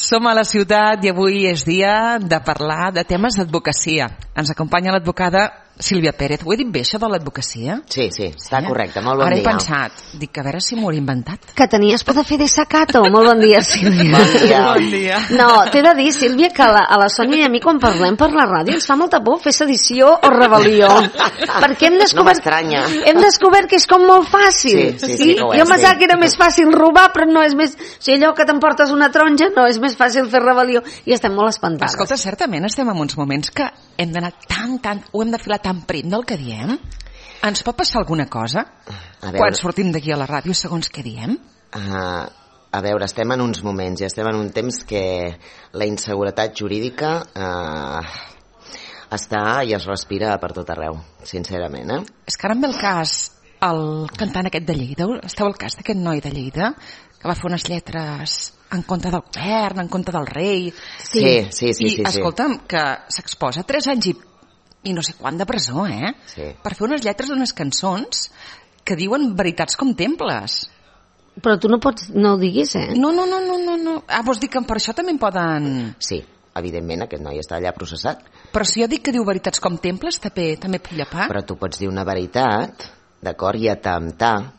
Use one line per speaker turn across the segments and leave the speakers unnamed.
Som a la ciutat i avui és dia de parlar de temes d'advocacia. Ens acompanya l'advocada Sílvia Pérez. Ho he dit bé, això de l'advocacia?
Sí, està correcte. Molt bon dia.
Ara he pensat, dic, a veure si m'ho he inventat.
Que tenies por de fer de sacato. Molt bon dia, Sílvia.
Bon dia.
No, t'he de dir, Sílvia, que a la Sònia i a mi, quan parlem per la ràdio, ens fa molta por fer sedició o rebel·lió. Perquè hem descobert...
No m'estranya.
Hem descobert que és com molt fàcil.
Sí,
jo pensava que era més fàcil robar, però no és més... O sigui, allò que t'emportes una taronja, no, és més fàcil fer rebel·lió. I estem molt espantades.
Escolta, certament estem en uns moments que hem d'anar ho hem de filar tan prim del que diem. Ens pot passar alguna cosa quan sortim d'aquí a la ràdio segons què diem?
A veure, estem en uns moments i estem en un temps que la inseguretat jurídica està i es respira per tot arreu, sincerament.
És que ara em ve el cas, el cantant aquest de Lleida, esteu al cas d'aquest noi de Lleida que va fer unes lletres en contra del govern, en contra del rei.
Sí.
I escolta'm, que s'exposa 3 anys i no sé quant de presó,
Sí.
per fer unes lletres d'unes cançons que diuen veritats com temples.
Però tu no ho diguis,
No. Vols dir que per això també en poden...
Sí, evidentment, aquest noi està allà processat.
Però si jo dic que diu veritats com temples, també puc llepar.
Però tu pots dir una veritat, d'acord, i atemptar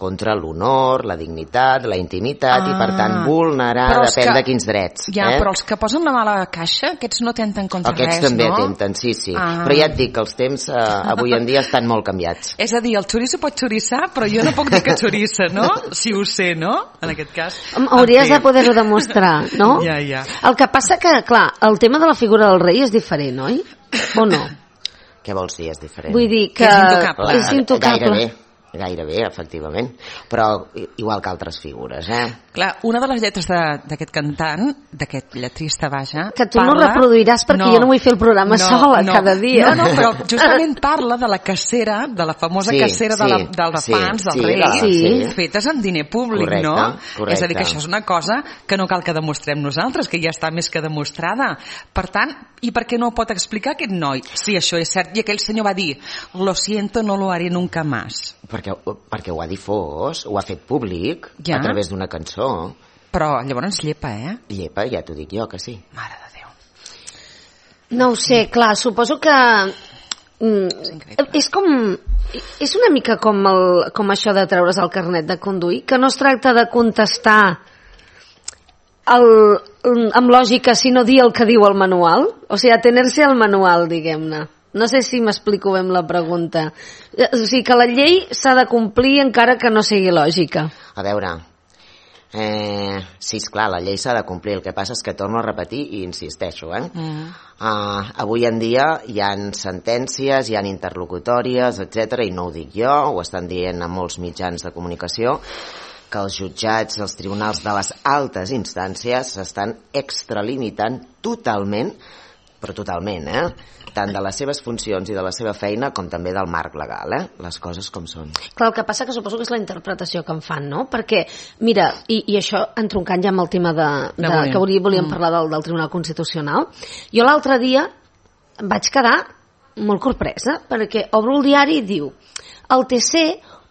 contra l'honor, la dignitat, la intimitat i, per tant, vulnerar depèn de quins drets.
Ja, però els que posen la mala caixa, aquests no atempten contra res, no?
Aquests també atempten, sí. Però ja et dic que els temps avui en dia estan molt canviats.
És a dir, el xoriço pot xoriçar, però jo no puc dir que xorissa, no? Si ho sé, no? En aquest cas.
Hauries de poder-ho demostrar, no?
Ja.
El que passa que, clar, el tema de la figura del rei és diferent, oi? O no?
Què vols dir, és diferent?
Vull dir que és intocable.
Gairebé, efectivament, però igual que altres figures,
Clar, una de les lletres d'aquest cantant, d'aquest lletrista, vaja...
Que tu no reproduiràs perquè jo no vull fer el programa sola cada dia.
No, però justament parla de la cacera, de la famosa cacera dels fans, dels reis, fetes amb diner públic,
correcte,
no?
Correcte.
És a dir, que això és una cosa que no cal que demostrem nosaltres, que ja està més que demostrada. Per tant, i per què no ho pot explicar aquest noi? Sí, això és cert. I aquell senyor va dir, lo siento, no lo haré nunca más.
Perquè ho ha difós, ho ha fet públic a través d'una cançó.
Però llavors llepa,
Llepa, ja t'ho dic jo, que sí.
Mare de Déu.
No ho sé, clar, suposo que... És una mica com això de treure's el carnet de conduir, que no es tracta de contestar amb lògica, sinó dir el que diu el manual. O sigui, atener-se al manual, diguem-ne. No sé si m'explico bé amb la pregunta. O sigui, que la llei s'ha de complir encara que no sigui lògica.
A veure, sí, esclar, la llei s'ha de complir. El que passa és que torno a repetir i insisteixo, avui en dia hi ha sentències, hi ha interlocutòries, etc. I no ho dic jo, ho estan dient a molts mitjans de comunicació, que els jutjats, els tribunals de les altes instàncies s'estan extralimitant totalment, però totalment, tant de les seves funcions i de la seva feina com també del marc legal, les coses com són.
Clar, el que passa que suposo que és la interpretació que en fan, no? Perquè, mira, i això entroncant ja amb el tema que volíem parlar del Tribunal Constitucional, jo l'altre dia vaig quedar molt sorpresa, perquè obro el diari i diu el TC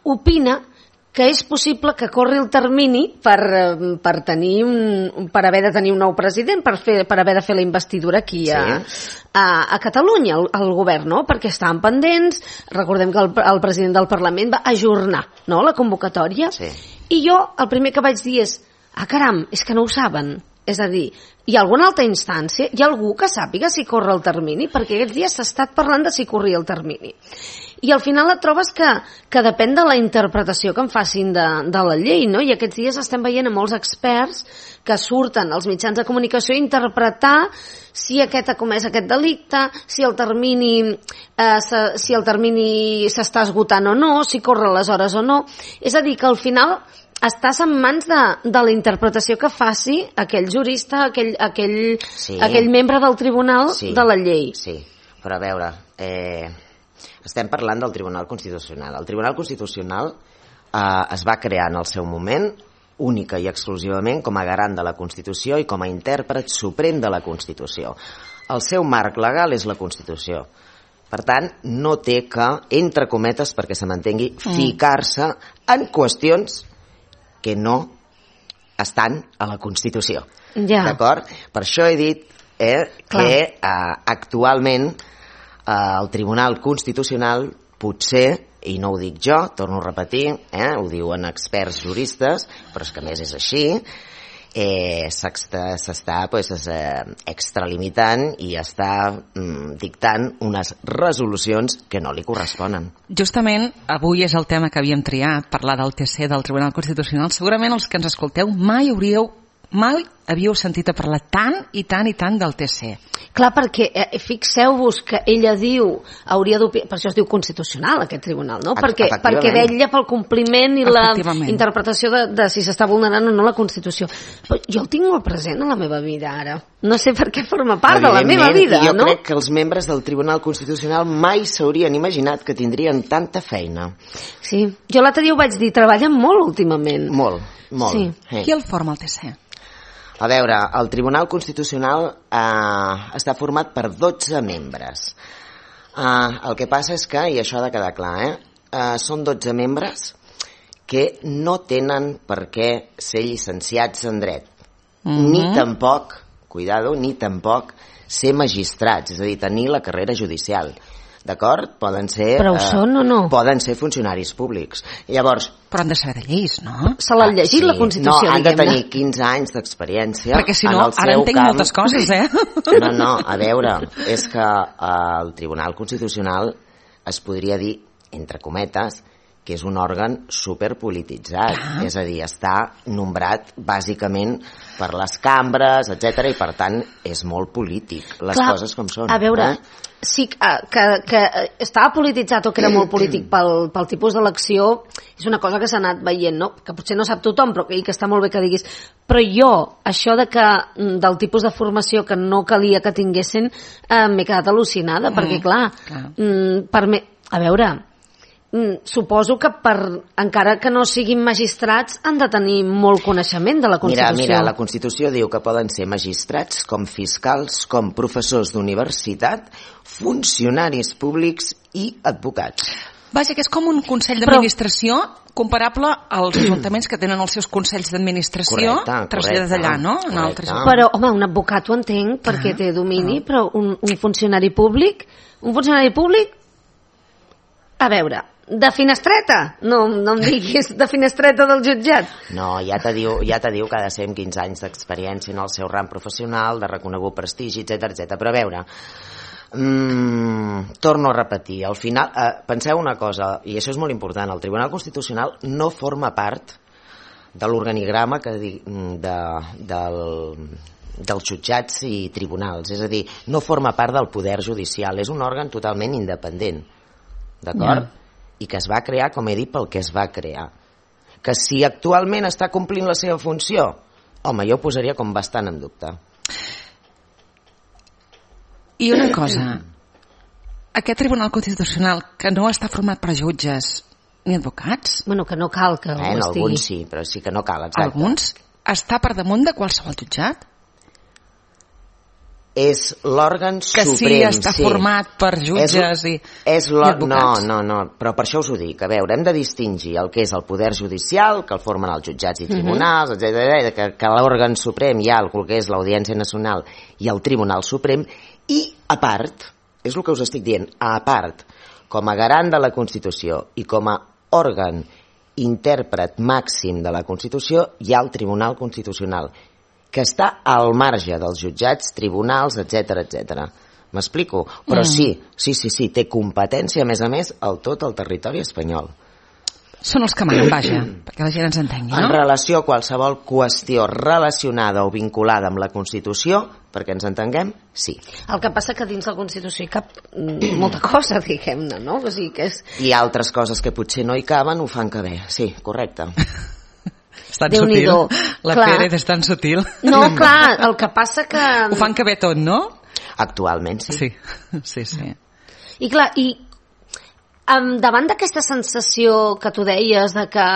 opina que és possible que corri el termini per haver de tenir un nou president, per haver de fer la investidura aquí a Catalunya, al govern, no? Perquè estaven pendents, recordem que el president del Parlament va ajornar, no?, la convocatòria, i jo el primer que vaig dir és, caram, és que no ho saben. És a dir, hi ha alguna altra instància? Hi ha algú que sàpiga si corre el termini? Perquè aquests dies s'ha estat parlant de si corria el termini. I al final et trobes que depèn de la interpretació que en facin de la llei, no? I aquests dies estem veient a molts experts que surten als mitjans de comunicació a interpretar si aquest ha comès aquest delicte, si el termini s'està esgotant o no, si corre les hores o no. És a dir, que al final estàs en mans de la interpretació que faci aquell jurista, aquell membre del tribunal de la llei.
Sí, però a veure, estem parlant del Tribunal Constitucional. El Tribunal Constitucional es va crear en el seu moment única i exclusivament com a garant de la Constitució i com a intèrpret suprem de la Constitució. El seu marc legal és la Constitució. Per tant, no té que, entre cometes, perquè se m'entengui, ficar-se en qüestions que no estan a la Constitució. D'acord? Per això he dit que actualment el Tribunal Constitucional potser, i no ho dic jo, torno a repetir, ho diuen experts juristes, però és que a més és així, s'està extralimitant i està dictant unes resolucions que no li corresponen.
Justament avui és el tema que havíem triat, parlar del TC, del Tribunal Constitucional. Segurament els que ens escolteu mai havíeu sentit a parlar tant i tant del TC.
Clar, perquè fixeu-vos que ella diu, per això es diu constitucional aquest tribunal, no? Perquè vetlla pel compliment i la interpretació de si s'està vulnerant o no la Constitució. Però jo el tinc molt present a la meva vida ara. No sé per què forma part de la meva vida,
jo
no?
Crec que els membres del Tribunal Constitucional mai s'haurien imaginat que tindrien tanta feina.
Sí, jo l'altre dia ho vaig dir, treballen molt últimament.
Molt.
Sí.
Qui el forma el TC?
A veure, el Tribunal Constitucional està format per 12 membres. El que passa és que, i això ha de quedar clar, són 12 membres que no tenen per què ser llicenciats en dret, ni tampoc, ni tampoc ser magistrats, és a dir, tenir la carrera judicial. D'acord? Poden ser...
Però ho són o no?
Poden ser funcionaris públics. Llavors...
Però han de saber de lleis, no?
Se l'han llegit, la Constitució,
no, han de tenir 15 anys d'experiència.
Perquè si no, ara entenc moltes coses,
No, a veure, és que el Tribunal Constitucional es podria dir, entre cometes, que és un òrgan superpolititzat, és a dir, està nombrat bàsicament per les cambres, etc i per tant és molt polític, les coses com són.
A veure, sí que estava polititzat o que era molt polític pel tipus d'elecció, és una cosa que s'ha anat veient, no? Que potser no sap tothom, però que està molt bé que diguis. Però jo, això del tipus de formació que no calia que tinguessin, m'he quedat al·lucinada, perquè clar, a veure, suposo que encara que no siguin magistrats han de tenir molt coneixement de la Constitució.
Mira, la Constitució diu que poden ser magistrats, com fiscals, com professors d'universitat, funcionaris públics i advocats.
Vaja, que és com un consell d'administració comparable als ajuntaments que tenen els seus consells d'administració traslladats allà, no?
Però, home, un advocat ho entenc perquè té domini, però un funcionari públic, a veure, de finestreta? No em diguis de finestreta del jutjat.
No, ja te diu que ha de ser amb 15 anys d'experiència en el seu ram professional, de reconegut prestigi, etc. Però a veure, torno a repetir, al final, penseu una cosa, i això és molt important, el Tribunal Constitucional no forma part de l'organigrama dels jutjats i tribunals, és a dir, no forma part del poder judicial, és un òrgan totalment independent, d'acord? I que es va crear, com he dit, pel que es va crear. Que si actualment està complint la seva funció, home, jo ho posaria com bastant en dubte.
I una cosa, aquest Tribunal Constitucional que no està format per jutges ni advocats...
Bueno, que no cal que ho estigui.
Alguns sí, però sí que no cal, exacte.
Alguns està per damunt de qualsevol jutjat?
És l'òrgan suprem.
Que sí està format per jutges i advocats?
No, però per això us ho dic. A veure, hem de distingir el que és el poder judicial, que el formen els jutjats i tribunals, etc., que l'òrgan suprem hi ha el que és l'Audiència Nacional i el Tribunal Suprem, i a part, és el que us estic dient, a part, com a garant de la Constitució i com a òrgan intèrpret màxim de la Constitució, hi ha el Tribunal Constitucional, que està al marge dels jutjats, tribunals, etc. M'explico? Però sí, té competència, a més, a tot el territori espanyol.
Són els que manen, vaja, perquè la gent ens entengui, no?
En relació a qualsevol qüestió relacionada o vinculada amb la Constitució, perquè ens entenguem, sí.
El que passa que dins la Constitució hi cap molta cosa, diguem-ne, no? O sigui que és...
I altres coses que potser no hi caben ho fan que bé, sí, correcte.
És tan sutil, la Pérez és tan sutil.
No, clar, el que passa que...
Ho fan que bé tot, no?
Actualment, sí.
Sí.
I clar, davant d'aquesta sensació que tu deies de que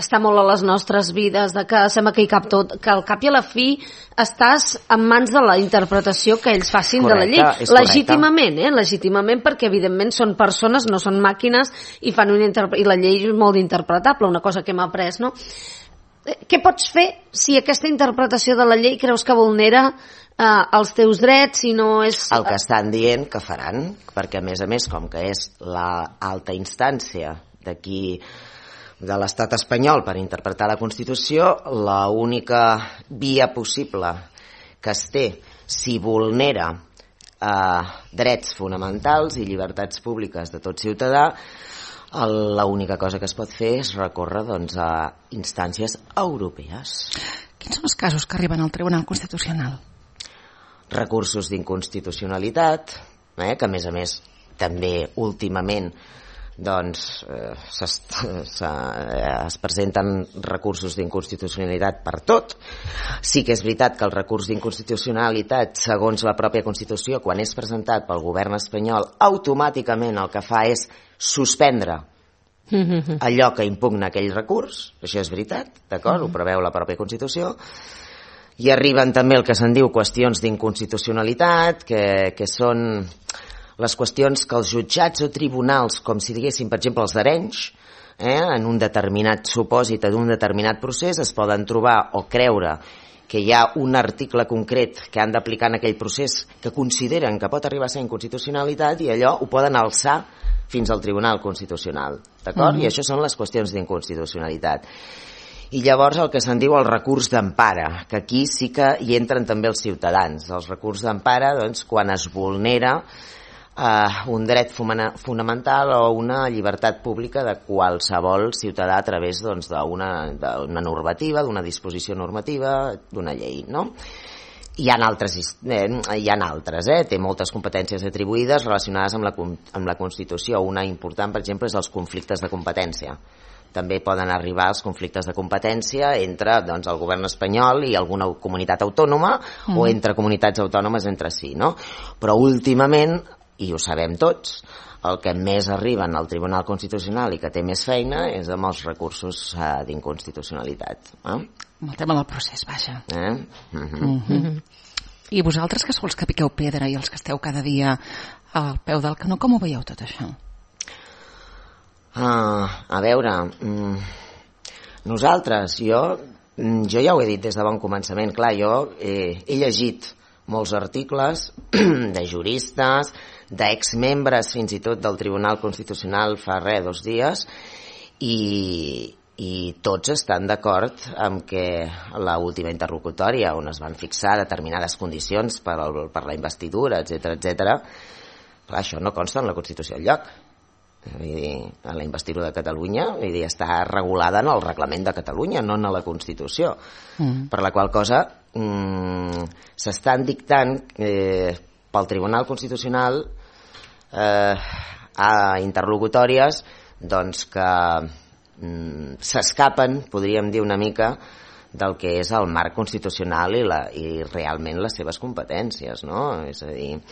està molt a les nostres vides, de que sembla que hi cap tot, que al cap i a la fi estàs en mans de la interpretació que ells facin de la llei. Legítimament, perquè evidentment són persones, no són màquines, i la llei és molt interpretable, una cosa que hem après, no? què pots fer si aquesta interpretació de la llei creus que vulnera els teus drets, si no és...
El que estan dient que faran, perquè a més, com que és l'alta instància d'aquí de l'estat espanyol per interpretar la Constitució, l'única via possible que es té si vulnera drets fonamentals i llibertats públiques de tot ciutadà, l'única cosa que es pot fer és recórrer a instàncies europees.
Quins són els casos que arriben al Tribunal Constitucional?
Recursos d'inconstitucionalitat, que a més també últimament es presenten recursos d'inconstitucionalitat per tot. Sí que és veritat que el recurs d'inconstitucionalitat, segons la pròpia Constitució, quan és presentat pel govern espanyol, automàticament el que fa és suspendre allò que impugna aquell recurs. Això és veritat, d'acord? Ho preveu la pròpia Constitució. I arriben també el que se'n diu qüestions d'inconstitucionalitat, que són les qüestions que els jutjats o tribunals, com si diguéssim, per exemple, els d'Arenys, en un determinat supòsit d'un determinat procés, es poden trobar o creure que hi ha un article concret que han d'aplicar en aquell procés que consideren que pot arribar a ser inconstitucionalitat, i allò ho poden alçar fins al Tribunal Constitucional, d'acord? I això són les qüestions d'inconstitucionalitat. I llavors el que se'n diu el recurs d'empara, que aquí sí que hi entren també els ciutadans. Els recurs d'empara, quan es vulnera un dret fonamental o una llibertat pública de qualsevol ciutadà a través d'una normativa, d'una disposició normativa, d'una llei, no? Hi ha altres, té moltes competències atribuïdes relacionades amb la Constitució. Una important, per exemple, és els conflictes de competència. També poden arribar els conflictes de competència entre el govern espanyol i alguna comunitat autònoma o entre comunitats autònomes entre si, no? Però últimament, i ho sabem tots, el que més arriben al Tribunal Constitucional i que té més feina és amb els recursos d'inconstitucionalitat.
Amb el tema del procés, vaja. I vosaltres, que sou els que piqueu pedra i els que esteu cada dia al peu del canó, com ho veieu tot això?
A veure, nosaltres, jo ja ho he dit des de bon començament, clar, jo he llegit molts articles de juristes, d'exmembres fins i tot del Tribunal Constitucional fa 2 dies, i tots estan d'acord amb que l'última interlocutòria, on es van fixar determinades condicions per la investidura, etc., això no consta en la Constitució enlloc. A la investidura de Catalunya està regulada en el reglament de Catalunya, no en la Constitució, per la qual cosa s'estan dictant pel Tribunal Constitucional a interlocutòries que s'escapen, podríem dir una mica, del que és el marc constitucional i realment les seves competències, no? És a dir,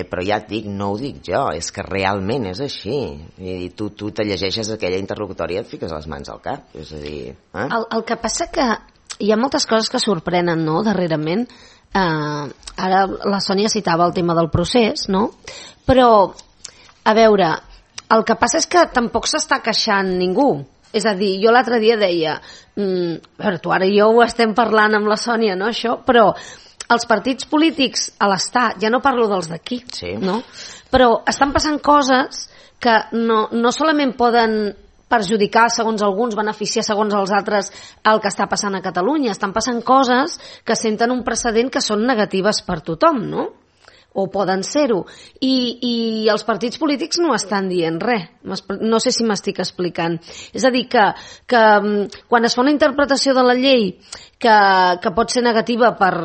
però ja et dic, no ho dic jo, és que realment és així. I tu te llegeixes aquella interlocutòria i et fiques les mans al cap, és a dir...
El que passa que hi ha moltes coses que sorprenen, no?, darrerament. Ara la Sònia citava el tema del procés, no? Però, a veure, el que passa és que tampoc s'està queixant ningú. És a dir, jo l'altre dia deia, a veure, tu ara i jo ho estem parlant amb la Sònia, no, això, però els partits polítics a l'Estat, ja no parlo dels d'aquí, no? Però estan passant coses que no solament poden perjudicar, segons alguns, beneficiar, segons els altres, el que està passant a Catalunya. Estan passant coses que senten un precedent que són negatives per tothom, no? O poden ser-ho. I els partits polítics no estan dient res. No sé si m'estic explicant. És a dir, que quan es fa una interpretació de la llei que pot ser negativa per...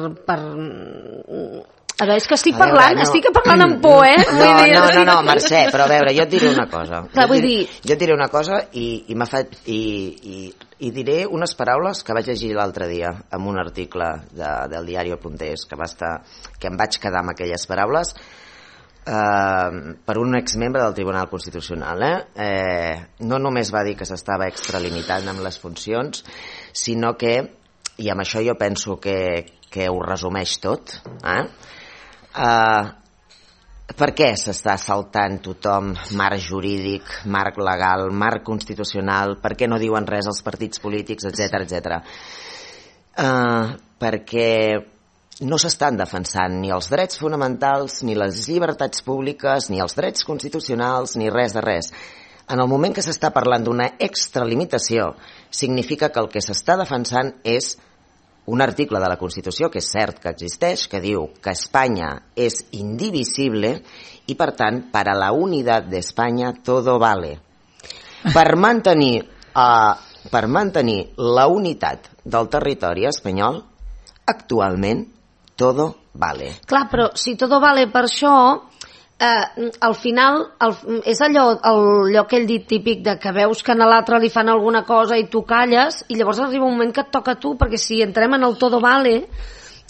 A veure, és que estic parlant amb por,
No, Mercè, però a veure, jo et diré una cosa.
Clar, vull dir...
Jo et diré una cosa i diré unes paraules que vaig llegir l'altre dia en un article del diari Apuntés, que em vaig quedar amb aquelles paraules per un exmembre del Tribunal Constitucional. No només va dir que s'estava extralimitant amb les funcions, sinó que, i amb això jo penso que ho resumeix tot, Per què s'està saltant tothom marc jurídic, marc legal, marc constitucional? Per què no diuen res als partits polítics, etc. Perquè no s'estan defensant ni els drets fonamentals, ni les llibertats públiques, ni els drets constitucionals, ni res de res. En el moment que s'està parlant d'una extralimitació, significa que el que s'està defensant és un article de la Constitució, que és cert que existeix, que diu que Espanya és indivisible i, per tant, para la unidad de España todo vale. Per mantenir la unitat del territori espanyol, actualment, todo vale.
Clar, però si todo vale per això, al final és allò aquell dit típic de que veus que a l'altre li fan alguna cosa i tu calles, i llavors arriba un moment que et toca a tu, perquè si entrem en el todo vale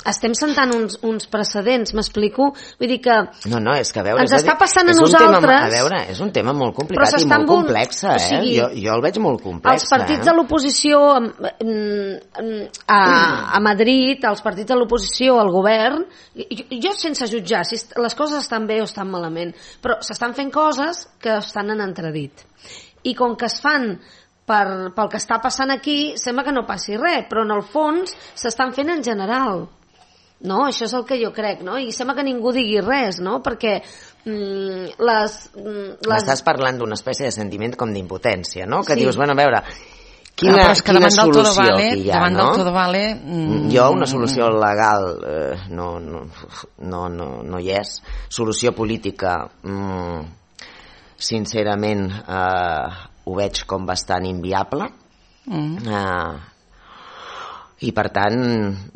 estem sentant uns precedents, m'explico? Vull dir que
no, és que a veure,
ens està passant a nosaltres...
És un tema molt complicat i molt complex,
o sigui,
jo el veig molt complex.
Els partits de l'oposició a Madrid, els partits de l'oposició al govern, jo sense jutjar si les coses estan bé o estan malament, però s'estan fent coses que estan en entredit. I com que es fan pel que està passant aquí, sembla que no passi res, però en el fons s'estan fent en general. No? Això és el que jo crec, no? I sembla que ningú digui res, no? Perquè
M'estàs parlant d'una espècie de sentiment com d'impotència, no? Que
sí.
Dius, bueno, a veure, quina solució aquí hi ha,
davant
no?
del todo vale...
Jo una solució legal no hi és. Solució política, sincerament, ho veig com bastant inviable. I per tant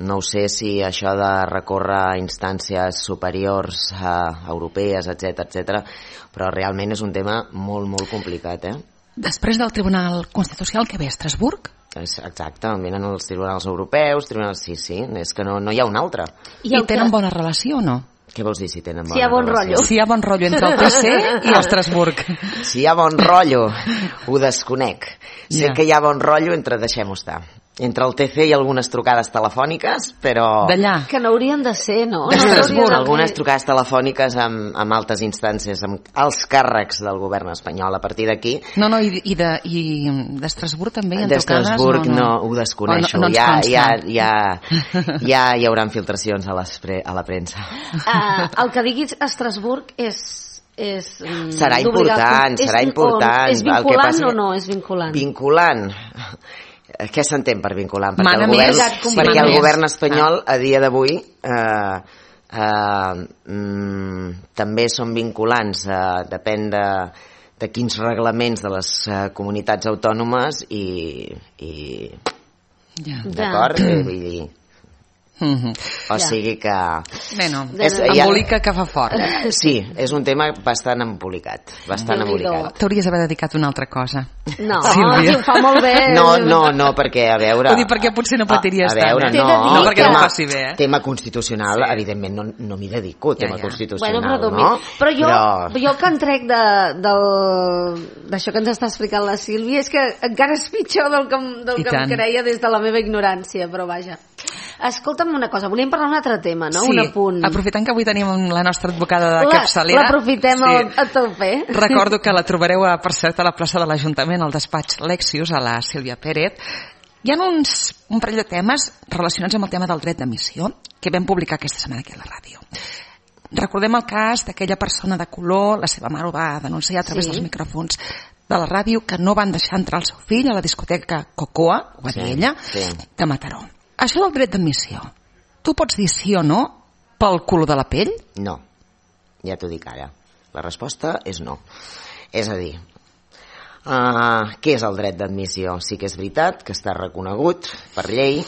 no sé si això de recórrer a instàncies superiors europees, etc, però realment és un tema molt, molt complicat,
Després del Tribunal Constitucional que ve a Estrasburg?
Exacte, venen els tribunals europeus, sí, és que no hi ha un altre.
I tenen bona relació o no?
Què vols dir si tenen bona
relació?
Si hi ha bon rotllo entre el TC i Estrasburg.
Si hi ha bon rotllo, ho desconec. Sé que hi ha bon rotllo entre, deixem-ho estar, entre el TC i algunes trucades telefòniques, però...
D'allà.
Que no haurien de ser, no?
D'Estrasburg. Algunes trucades telefòniques amb altes instàncies, amb els càrrecs del govern espanyol. A partir d'aquí...
No, i d'Estrasburg també hi ha trucades?
D'Estrasburg no, ho desconeixo. Ja hi haurà filtracions a la premsa.
El que diguis Estrasburg
serà important.
És vinculant o no és vinculant?
Vinculant. Què s'entén per vinculant? Perquè el govern espanyol a dia d'avui també són vinculants, depèn de quins reglaments de les comunitats autònomes d'acord? Vull dir... O sigui que...
Bueno, embolica que fa fort.
Sí, és un tema bastant embolicat.
T'hauries d'haver dedicat a una altra cosa.
No, ho fa molt bé.
No, perquè a veure...
Ho dic perquè potser no patiries tant.
No,
perquè no faci bé.
Tema constitucional, evidentment, no m'hi dedico, tema constitucional,
no? Però jo el que en trec d'això que ens està explicant la Sílvia és que encara és pitjor del que em creia des de la meva ignorància, però vaja. Escolta'm una cosa, volíem parlar d'un altre tema, no?
Sí,
un apunt.
Aprofitant que avui tenim la nostra advocada de capçalera...
L'aprofitem a tope.
Recordo que la trobareu, per cert, a la plaça de l'Ajuntament, al despatx Lexius, a la Sílvia Pérez. Hi ha un parell de temes relacionats amb el tema del dret d'emissió que vam publicar aquesta setmana aquí a la ràdio. Recordem el cas d'aquella persona de color, la seva mare ho va denunciar a través dels micròfons de la ràdio, que no van deixar entrar el seu fill a la discoteca Cocoa, ho va dir ella, de Mataró. Això del dret d'admissió, tu pots dir sí o no pel color de la pell?
No, ja t'ho dic ara. La resposta és no. És a dir, què és el dret d'admissió? Sí que és veritat que està reconegut per llei,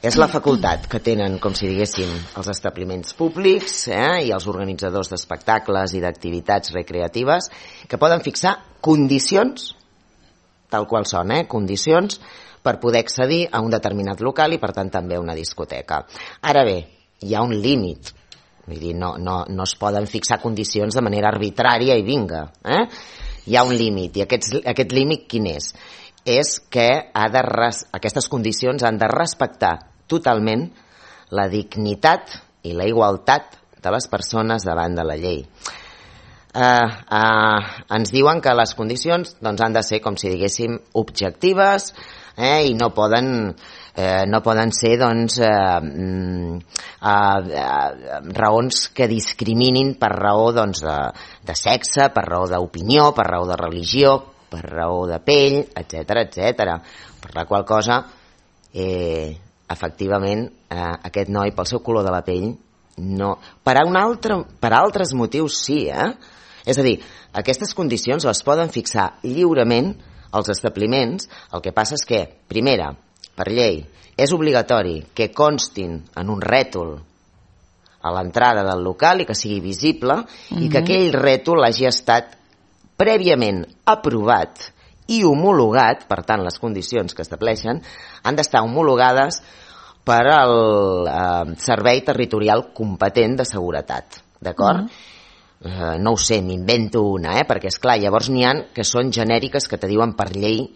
és la facultat que tenen, com si diguéssim, els establiments públics i els organitzadors d'espectacles i d'activitats recreatives que poden fixar condicions, tal qual són, condicions per poder accedir a un determinat local i, per tant, també a una discoteca. Ara bé, hi ha un límit. Vull dir, no es poden fixar condicions de manera arbitrària i vinga. Hi ha un límit. I aquest límit quin és? És que aquestes condicions han de respectar totalment la dignitat i la igualtat de les persones davant de la llei. ens diuen que les condicions doncs, han de ser, com si diguéssim, objectives, i no poden ser doncs, raons que discriminin per raó doncs, de sexe, per raó d'opinió, per raó de religió, per raó de pell, etc. Per la qual cosa, efectivament, aquest noi, pel seu color de la pell, no. Per altres motius sí, És a dir, aquestes condicions les poden fixar lliurement els establiments. El que passa és que, primera, per llei, és obligatori que constin en un rètol a l'entrada del local i que sigui visible, i que aquell rètol hagi estat prèviament aprovat i homologat. Per tant, les condicions que estableixen han d'estar homologades per al Servei Territorial Competent de Seguretat, d'acord? No ho sé, m'invento una, perquè és clar, llavors n'hi ha que són genèriques, que te diuen per llei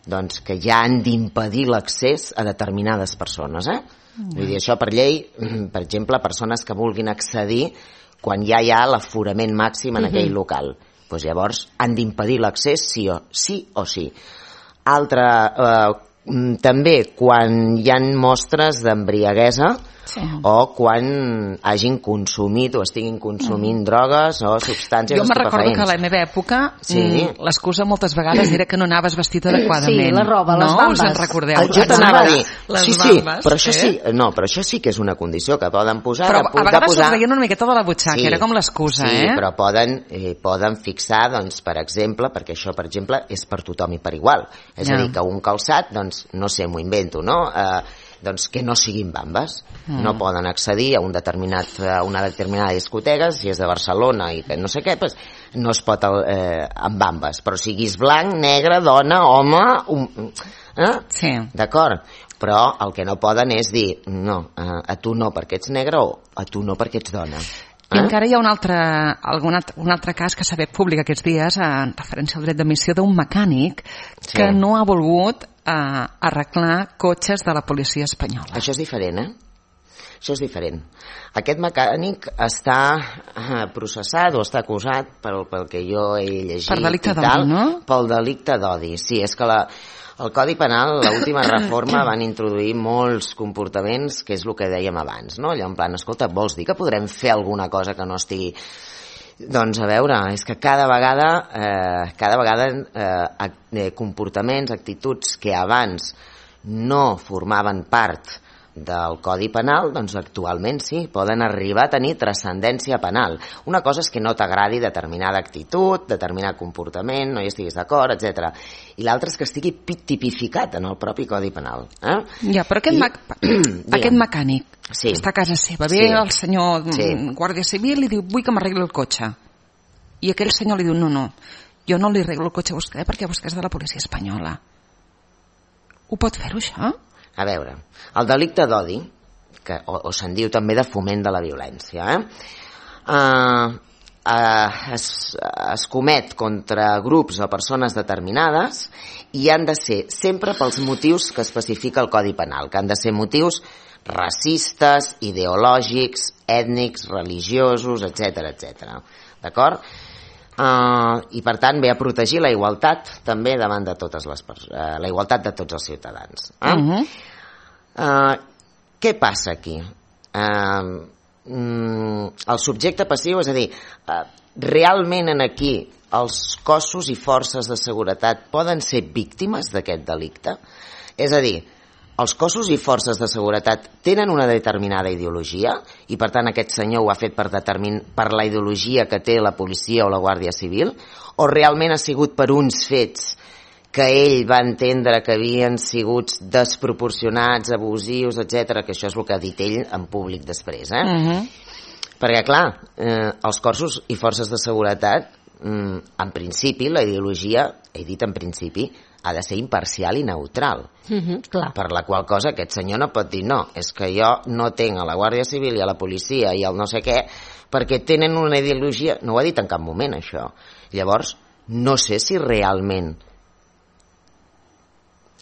doncs, que ja han d'impedir l'accés a determinades persones. Vull dir, això per llei, per exemple, persones que vulguin accedir quan ja hi ha l'aforament màxim en aquell local, doncs llavors han d'impedir l'accés sí o sí. També quan hi ha mostres d'embriaguesa, o quan hagin consumit o estiguin consumint drogues o substàncies estupefaents.
Jo me recordo que a la meva època l'excusa moltes vegades era que no anaves vestit adequadament.
Sí, la roba, les bambes.
Us en recordeu?
Jo t'anava a dir, però això sí que és una condició que poden posar.
Però a vegades us veien una miqueta de la butxaca, era com l'excusa,
Sí, però poden fixar, doncs, per exemple, perquè això, per exemple, és per tothom i per igual. És a dir, que un calçat, doncs, no sé, m'ho invento, no?, doncs que no siguin bambes. No poden accedir a una determinada discoteca, si és de Barcelona i que no sé què, doncs no es pot amb bambes, però siguis blanc, negre, dona, home, d'acord? Però el que no poden és dir, no, a tu no perquè ets negre, o a tu no perquè ets dona.
I encara hi ha un altre cas que s'ha fet públic aquests dies en referència al dret d'emissió d'un mecànic que no ha volgut arreglar cotxes de la policia espanyola.
Això és diferent, Això és diferent. Aquest mecànic està processat o està acusat pel que jo he llegit.
Per delicte d'odi, no?
Pel delicte d'odi, sí. És que el Codi Penal, l'última reforma, van introduir molts comportaments, que és el que dèiem abans, no? Allò en plan, escolta, vols dir que podrem fer alguna cosa que no estigui... Doncs a veure, és que cada vegada comportaments, actituds que abans no formaven part del Codi Penal, doncs actualment sí, poden arribar a tenir transcendència penal. Una cosa és que no t'agradi determinada actitud, determinat comportament, no hi estiguis d'acord, etc. I l'altra és que estigui tipificat en el propi Codi Penal.
Ja, però aquest mecànic està a casa seva, ve el senyor Guàrdia Civil i li diu, vull que m'arregli el cotxe. I aquell senyor li diu, no, jo no li arreglo el cotxe a vostè perquè vostè és de la policia espanyola. Ho pot fer-ho, això?
A veure, el delicte d'odi, o se'n diu també de foment de la violència, es comet contra grups o persones determinades i han de ser sempre pels motius que especifica el Codi Penal, que han de ser motius racistes, ideològics, ètnics, religiosos, etc. D'acord? I per tant ve a protegir la igualtat també davant de totes les persones, la igualtat de tots els ciutadans. Què passa aquí? El subjecte passiu, és a dir, realment en aquí els cossos i forces de seguretat poden ser víctimes d'aquest delicte? És a dir, els cossos i forces de seguretat tenen una determinada ideologia i per tant aquest senyor ho ha fet per la ideologia que té la policia o la Guàrdia Civil, o realment ha sigut per uns fets que ell va entendre que havien sigut desproporcionats, abusius, etc, que això és el que ha dit ell en públic després, Perquè, clar, els cossos i forces de seguretat, en principi, la ideologia, he dit en principi, ha de ser imparcial i neutral. Per la qual cosa aquest senyor no pot dir no, és que jo no tenc a la Guàrdia Civil i a la policia i al no sé què, perquè tenen una ideologia... No ho ha dit en cap moment, això. Llavors, no sé si realment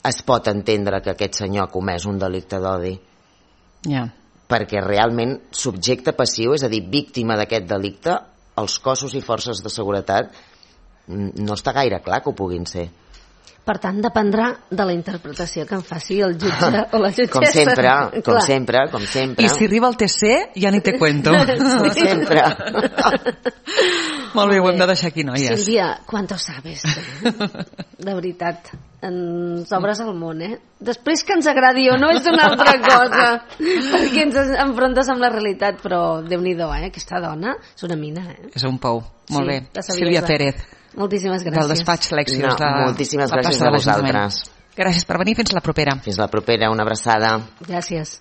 es pot entendre que aquest senyor ha comès un delicte d'odi. Perquè realment subjecte passiu, és a dir, víctima d'aquest delicte, els cossos i forces de seguretat no està gaire clar que ho puguin ser.
Per tant, dependrà de la interpretació que en faci el jutge o la jutgessa.
Com sempre.
I si arriba el TC, ja ni te cuento.
Com sempre.
Molt bé, ho hem de deixar aquí, noies.
Sílvia, quanto sabes? De veritat, ens obres el món, eh? Després que ens agradi o no és una altra cosa, perquè ens enfrontes amb la realitat, però Déu-n'hi-do, aquesta dona és una mina, eh?
És un pou. Molt bé.
Sí,
Sílvia Pérez.
Moltíssimes gràcies.
Del despatx Lexios.
Moltíssimes gràcies a vosaltres.
Gràcies per venir, fins la propera.
Fins la propera, una abraçada.
Gràcies.